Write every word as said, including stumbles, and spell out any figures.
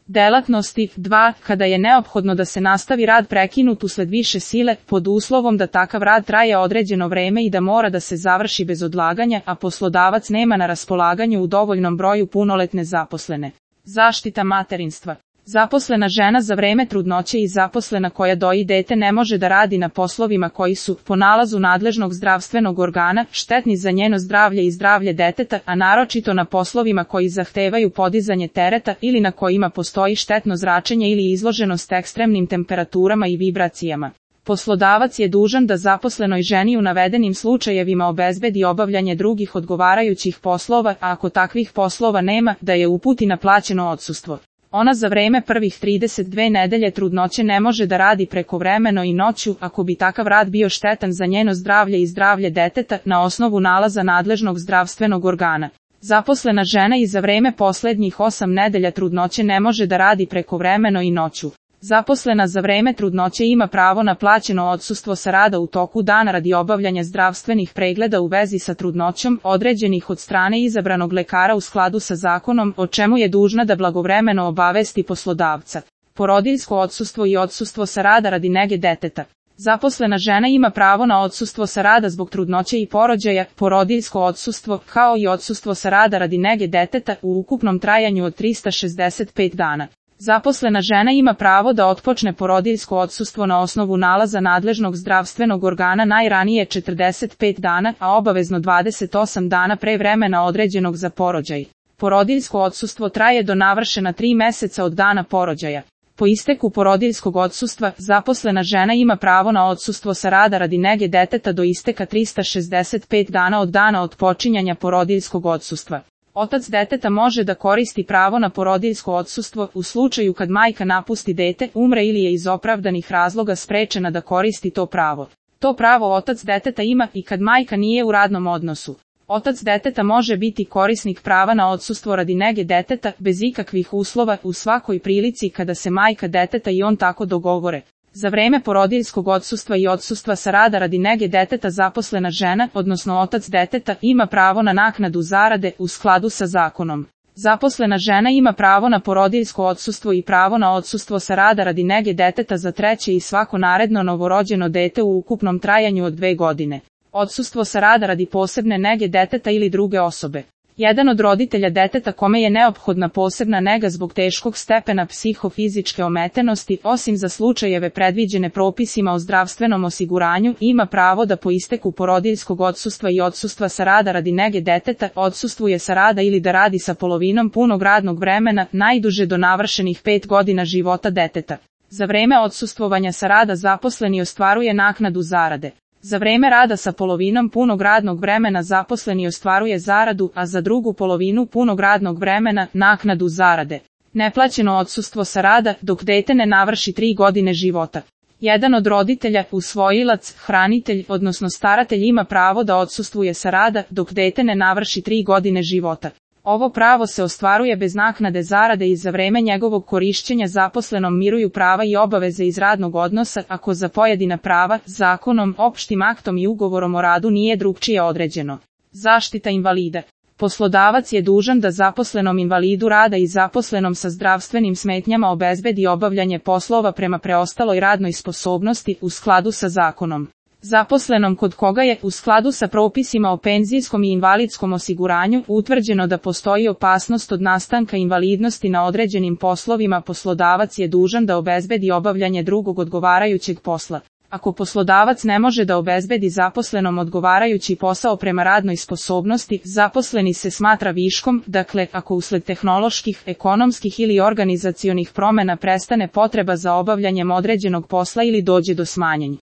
delatnosti. dva. Kada je neophodno da se nastavi rad prekinut usled više sile, pod uslovom da takav rad traje određeno vreme i da mora da se završi bez odlaganja, a poslodavac nema na raspolaganju u dovoljnom broju punoletne zaposlene. Zaštita materinstva. Zaposlena žena za vreme trudnoće i zaposlena koja doji dete ne može da radi na poslovima koji su, po nalazu nadležnog zdravstvenog organa, štetni za njeno zdravlje i zdravlje deteta, a naročito na poslovima koji zahtevaju podizanje tereta ili na kojima postoji štetno zračenje ili izloženost ekstremnim temperaturama i vibracijama. Poslodavac je dužan da zaposlenoj ženi u navedenim slučajevima obezbedi obavljanje drugih odgovarajućih poslova, a ako takvih poslova nema, da je uputi na plaćeno odsustvo. Ona za vreme prvih trideset dve nedelje trudnoće ne može da radi prekovremeno i noću, ako bi takav rad bio štetan za njeno zdravlje i zdravlje deteta, na osnovu nalaza nadležnog zdravstvenog organa. Zaposlena žena i za vreme poslednjih osam nedelja trudnoće ne može da radi prekovremeno i noću. Zaposlena za vreme trudnoće ima pravo na plaćeno odsustvo sa rada u toku dana radi obavljanja zdravstvenih pregleda u vezi sa trudnoćom, određenih od strane izabranog lekara u skladu sa zakonom, o čemu je dužna da blagovremeno obavesti poslodavca. Porodiljsko odsustvo i odsustvo sa rada radi nege deteta. Zaposlena žena ima pravo na odsustvo sa rada zbog trudnoće i porođaja, porodiljsko odsustvo, kao i odsustvo sa rada radi nege deteta u ukupnom trajanju od trista šezdeset pet dana. Zaposlena žena ima pravo da otpočne porodiljsko odsustvo na osnovu nalaza nadležnog zdravstvenog organa najranije četrdeset pet dana, a obavezno dvadeset osam dana pre vremena određenog za porođaj. Porodiljsko odsustvo traje do navršena tri meseca od dana porođaja. Po isteku porodiljskog odsustva, zaposlena žena ima pravo na odsustvo sa rada radi nege deteta do isteka trista šezdeset pet dana od dana otpočinjanja porodiljskog odsustva. Otac deteta može da koristi pravo na porodiljsko odsustvo u slučaju kad majka napusti dete, umre ili je iz opravdanih razloga sprečena da koristi to pravo. To pravo otac deteta ima i kad majka nije u radnom odnosu. Otac deteta može biti korisnik prava na odsustvo radi nege deteta bez ikakvih uslova u svakoj prilici kada se majka deteta i on tako dogovore. Za vreme porodiljskog odsustva i odsustva sa rada radi nege deteta zaposlena žena, odnosno otac deteta, ima pravo na naknadu zarade u skladu sa zakonom. Zaposlena žena ima pravo na porodiljsko odsustvo i pravo na odsustvo sa rada radi nege deteta za treće i svako naredno novorođeno dete u ukupnom trajanju od dve godine. Odsustvo sa rada radi posebne nege deteta ili druge osobe. Jedan od roditelja deteta kome je neophodna posebna nega zbog teškog stepena psihofizičke ometenosti, osim za slučajeve predviđene propisima o zdravstvenom osiguranju, ima pravo da po isteku porodiljskog odsustva i odsustva sa rada radi nege deteta odsustvuje sa rada ili da radi sa polovinom punog radnog vremena, najduže do navršenih pet godina života deteta. Za vreme odsustvovanja sa rada zaposleni ostvaruje naknadu zarade. Za vreme rada sa polovinom punog radnog vremena zaposleni ostvaruje zaradu, a za drugu polovinu punog radnog vremena naknadu zarade. Neplaćeno odsustvo sa rada dok dete ne navrši tri godine života. Jedan od roditelja, usvojilac, hranitelj, odnosno staratelj ima pravo da odsustvuje sa rada dok dete ne navrši tri godine života. Ovo pravo se ostvaruje bez naknade zarade i za vreme njegovog korišćenja zaposlenom miruju prava i obaveze iz radnog odnosa ako za pojedina prava, zakonom, opštim aktom i ugovorom o radu nije drugčije određeno. Zaštita invalida. Poslodavac je dužan da zaposlenom invalidu rada i zaposlenom sa zdravstvenim smetnjama obezbedi obavljanje poslova prema preostaloj radnoj sposobnosti u skladu sa zakonom. Zaposlenom kod koga je, u skladu sa propisima o penzijskom i invalidskom osiguranju, utvrđeno da postoji opasnost od nastanka invalidnosti na određenim poslovima, poslodavac je dužan da obezbedi obavljanje drugog odgovarajućeg posla. Ako poslodavac ne može da obezbedi zaposlenom odgovarajući posao prema radnoj sposobnosti, zaposleni se smatra viškom, dakle, ako usled tehnoloških, ekonomskih ili organizacionih promena prestane potreba za obavljanjem određenog posla ili dođe do smanjenja